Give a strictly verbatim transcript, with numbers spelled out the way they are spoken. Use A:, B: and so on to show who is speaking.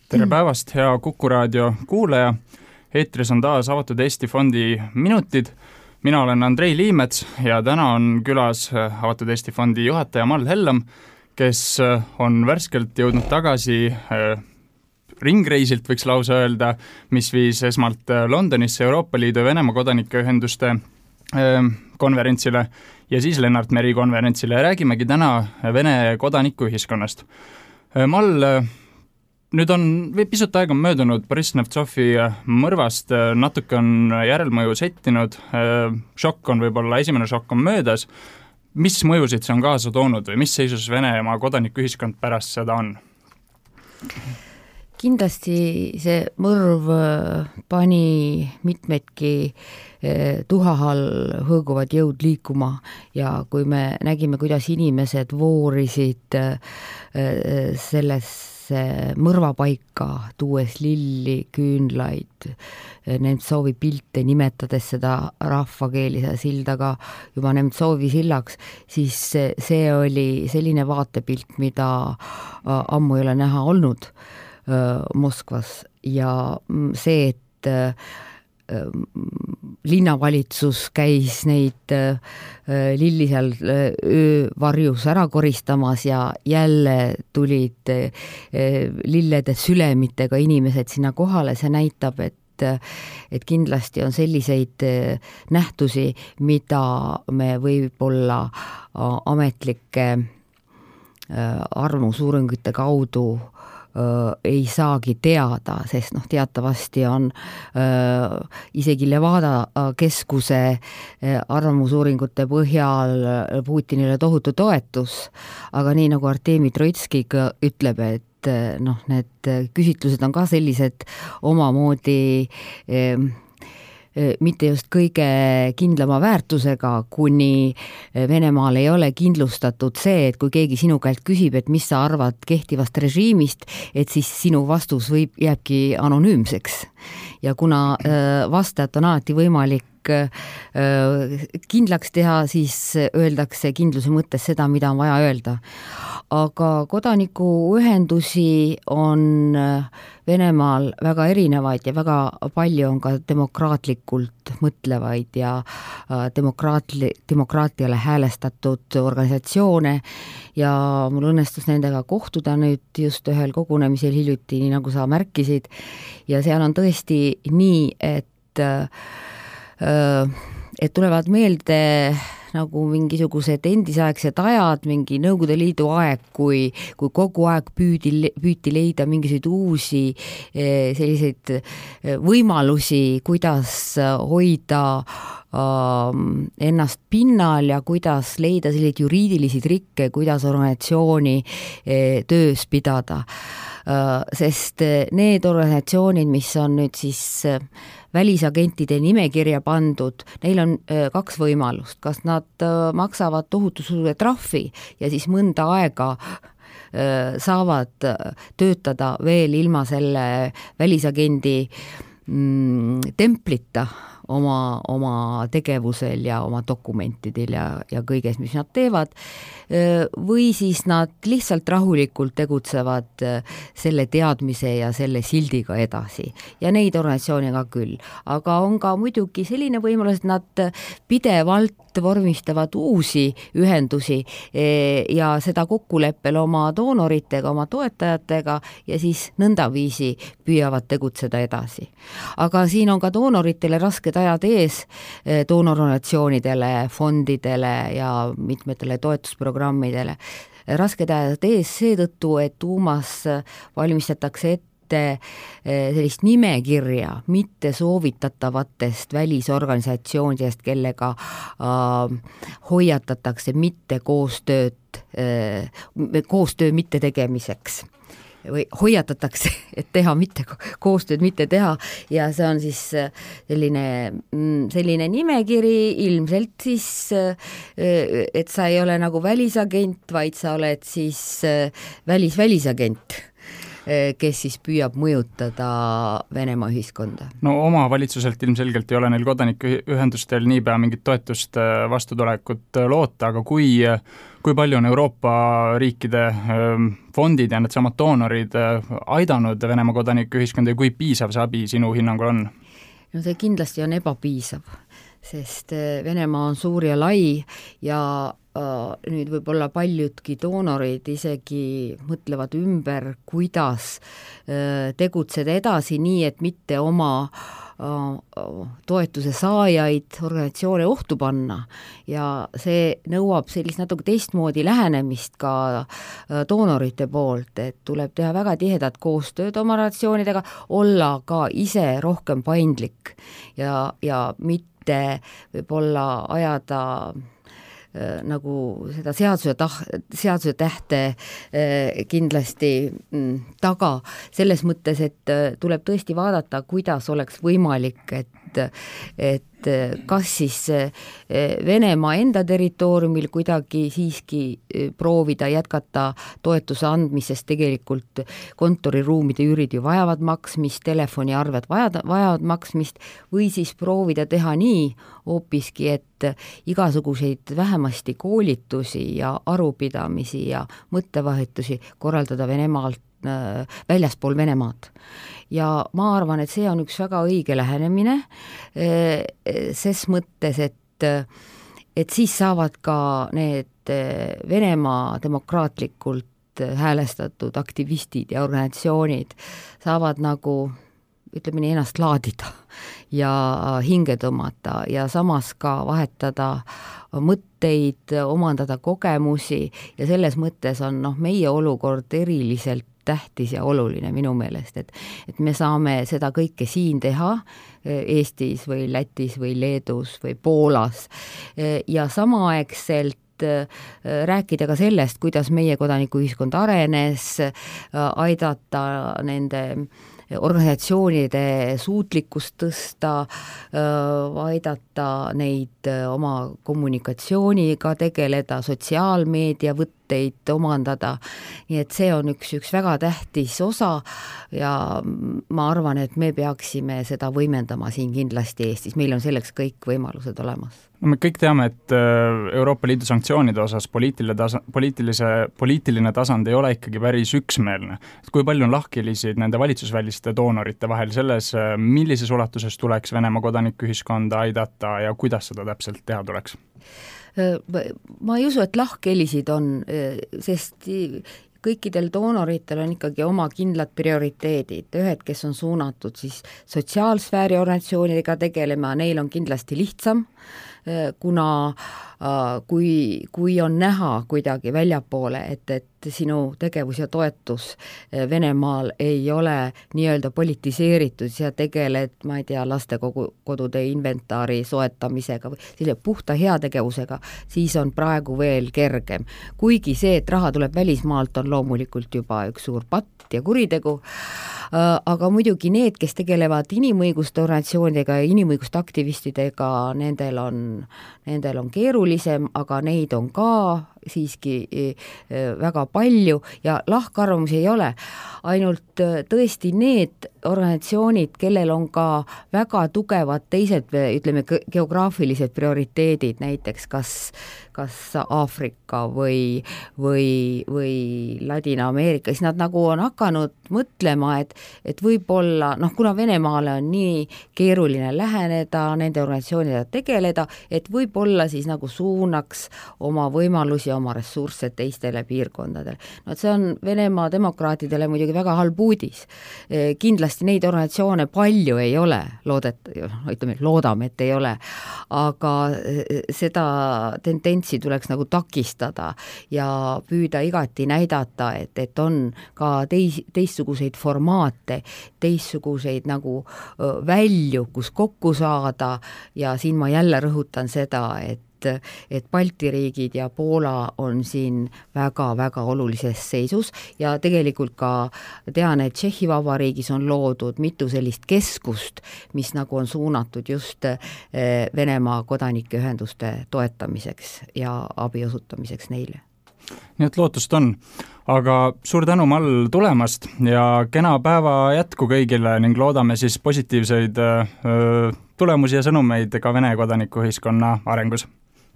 A: Tere päevast, hea Kuku raadio kuulaja. Eetris on taas Avatud Eesti Fondi minutid. Mina olen Andrei Liimets ja täna on külas Avatud Eesti Fondi juhataja Mall Hellam, kes on värskelt jõudnud tagasi ringreisilt, võiks lausa öelda, mis viis esmalt Londonisse Euroopa Liidu ja Venemaa kodanike ühenduste konverentsile ja siis Lennart Meri konverentsile ja räägimegi täna Vene kodanikuühiskonnast. Mall, nüüd on pisut aega möödunud Boriss Nemtsovi mõrvast, natuke on järelmõju settinud, šokk on võib-olla, esimene šokk on möödas. Mis mõjusid see on kaasa toonud või mis seisus Venemaa kodanikuühiskond pärast seda on?
B: Kindlasti see mõrv pani mitmedki tuhahal hõõguvad jõud liikuma ja kui me nägime, kuidas inimesed voorisid sellesse mõrvapaika, tuues lilli, küünlaid, Nemtsovi pilte, nimetades seda rahvakeeli sildaga juba Nemtsovi sillaks, siis see oli selline vaatepilt, mida ammu ei ole näha olnud Moskvas ja see, et linnavalitsus käis neid lilli seal öövarjus ära koristamas ja jälle tulid lillede sülemitega inimesed sinna kohale, see näitab, et et kindlasti on selliseid nähtusi, mida me võib-olla ametlike arvamusuuringute kaudu ei saagi teada, sest noh, teatavasti on äh, isegi Levada keskuse äh, arvamusuuringute põhjal Putinile tohutu toetus, aga nii nagu Artemi Troitski ütleb, et äh, noh, need küsitlused on ka sellised omamoodi äh, mitte just kõige kindlama väärtusega, kuni Venemaal ei ole kindlustatud see, et kui keegi sinu käelt küsib, et mis sa arvad kehtivast režiimist, et siis sinu vastus võib jääbki anonüümseks. Ja kuna vastajat on alati võimalik kindlaks teha, siis öeldakse kindluse mõttes seda, mida on vaja öelda. Aga kodanikuühendusi on Venemaal väga erinevaid ja väga palju on ka demokraatlikult mõtlevaid ja demokraatli, demokraatiale häälestatud organisatsioone ja mul õnnestus nendega kohtuda nüüd just ühel kogunemisel hiljuti, nii nagu sa märkisid, ja seal on tõesti nii, et et tulevad meelde nagu mingisugused endisaegsed ajad, mingi Nõukogude Liidu aeg, kui, kui kogu aeg püüdi, püüti leida mingisuguseid uusi selliseid võimalusi, kuidas hoida ennast pinnal ja kuidas leida selliseid juriidilisi trikke, kuidas organisatsiooni töös pidada. Sest need organisatsioonid, mis on nüüd siis välisagentide nimekirja pandud, neil on kaks võimalust, kas nad maksavad tohutu suure trahvi ja siis mõnda aega saavad töötada veel ilma selle välisagendi templita oma, oma tegevusel ja oma dokumentidel ja, ja kõiges, mis nad teevad, või siis nad lihtsalt rahulikult tegutsevad selle teadmise ja selle sildiga edasi. Ja neid organisatsioone ka küll. Aga on ka muidugi selline võimalus, et nad pidevalt vormistavad uusi ühendusi ja seda kokkuleppel oma doonoritega, oma toetajatega ja siis nõndaviisi püüavad tegutseda edasi. Aga siin on ka doonoritele rasked ajad ees, doonororganisatsioonidele, fondidele ja mitmetele toetusprogrammidele. Rasked ajad ees seetõttu, et Duumas valmistatakse ette sellist nimekirja mitte soovitatavatest välisorganisatsioonidest, kellega äh, hoiatatakse mitte koostööd, äh, koostöö mitte tegemiseks või hoiatatakse, et teha mitte koostööd mitte teha ja see on siis selline, selline nimekiri ilmselt siis, et sa ei ole nagu välisagent, vaid sa oled siis välis-välisagent. kes siis püüab mõjutada Venemaa ühiskonda.
A: No oma valitsuselt ilmselgelt ei ole neil kodanikuühendustel niipea mingit toetust vastutulekut loota, aga kui, kui palju on Euroopa riikide fondid ja needsamad doonorid aidanud Venemaa kodanikuühiskonda ja kui piisav see abi sinu hinnangul on?
B: No see kindlasti on ebapiisav, sest Venemaa on suur ja lai ja nüüd võib-olla paljudki doonorid isegi mõtlevad ümber, kuidas tegutseda edasi nii, et mitte oma toetuse saajaid, organisatsioone ohtu panna ja see nõuab sellist natuke teistmoodi lähenemist ka doonorite poolt, et tuleb teha väga tihedat koostööd oma organisatsioonidega, olla ka ise rohkem paindlik ja, ja mitte võib-olla ajada nagu seda seaduse, tah, seaduse tähte kindlasti taga, selles mõttes, et tuleb tõesti vaadata, kuidas oleks võimalik, et, et kas siis Venemaa enda territooriumil kuidagi siiski proovida jätkata toetuse andmisest, tegelikult kontoriruumide üürid ju vajavad maksmist, telefoniarved vajavad, vajavad maksmist, või siis proovida teha nii hoopiski, et igasuguseid vähemasti koolitusi ja arupidamisi ja mõttevahetusi korraldada Venemaalt, väljaspool Venemaad. Ja ma arvan, et see on üks väga õige lähenemine, ses mõttes, et, et siis saavad ka need Venemaa demokraatlikult häälestatud aktivistid ja organisatsioonid saavad nagu ütleme nii, ennast laadida ja hinge tõmmata ja samas ka vahetada mõtteid, omandada kogemusi ja selles mõttes on noh, meie olukord eriliselt tähtis ja oluline minu meelest, et, et me saame seda kõike siin teha Eestis või Lätis või Leedus või Poolas ja samaaegselt rääkida ka sellest, kuidas meie kodanikuühiskond arenes, aidata nende organisatsioonide suutlikkust tõsta, aidata neid oma kommunikatsiooniga tegeleda, sotsiaalmeedia võtteid omandada, nii et see on üks, üks väga tähtis osa ja ma arvan, et me peaksime seda võimendama siin kindlasti Eestis, meil on selleks kõik võimalused olemas.
A: No me kõik teame, et Euroopa Liidu sanktsioonide osas poliitiline, tasa, poliitilise, poliitiline tasand ei ole ikkagi päris üksmeelne. Et kui palju on lahkhelisid nende valitsusväliste doonorite vahel selles, millises ulatuses tuleks Venemaa kodanikuühiskonda aidata ja kuidas seda täpselt teha tuleks?
B: Ma ei usu, et lahkhelisid on, sest kõikidel doonoritel on ikkagi oma kindlad prioriteedid, ühed, kes on suunatud siis sotsiaalsfääri organisatsioonidega tegelema, neil on kindlasti lihtsam, kuna kui, kui on näha kuidagi väljapoole, et, et sinu tegevus ja toetus Venemaal ei ole nii-öelda politiseeritud ja tegeled, ma ei tea, lastekodude inventaari soetamisega või selle puhta heategevusega, siis on praegu veel kergem. Kuigi see, et raha tuleb välismaalt, on loomulikult juba üks suur patt ja kuritegu, aga muidugi need, kes tegelevad inimõiguste organisatsioonidega ja inimõiguste aktivistidega, nendel on, nendel on keerulisem, aga neid on ka siiski väga palju ja lahkarvamusi ei ole, ainult tõesti need organisatsioonid, kellel on ka väga tugevad teised, ütleme, geograafilised prioriteedid, näiteks kas, kas Aafrika või, või, või Ladina-Ameerika, siis nad nagu on hakanud mõtlema, et, et võib-olla, noh, kuna Venemaale on nii keeruline läheneda, nende organisatsioonidega tegeleda, et võib-olla siis nagu suunaks oma võimalusi, oma ressursse teistele piirkondadele. No see on Venemaa demokraatidele muidugi väga halb uudis. Kindlasti neid organisatsioone palju ei ole, loodet, ütleme, loodame, et ei ole, aga seda tendentsi tuleks nagu takistada ja püüda igati näidata, et, et on ka teis, teistsuguseid formaate, teistsuguseid nagu välju, kus kokku saada ja siin ma jälle rõhutan seda, et et Balti riigid ja Poola on siin väga-väga olulises seisus ja tegelikult ka tean, et Tšehhi Vabariigis on loodud mitu sellist keskust, mis nagu on suunatud just Venemaa kodanikeühenduste toetamiseks ja abi osutamiseks neile.
A: nii et lootust on. Aga suur tänu, Mall, tulemast ja kena päeva jätku kõigile ning loodame siis positiivseid öö, tulemusi ja sõnumeid ka Vene kodanikuühiskonna arengus.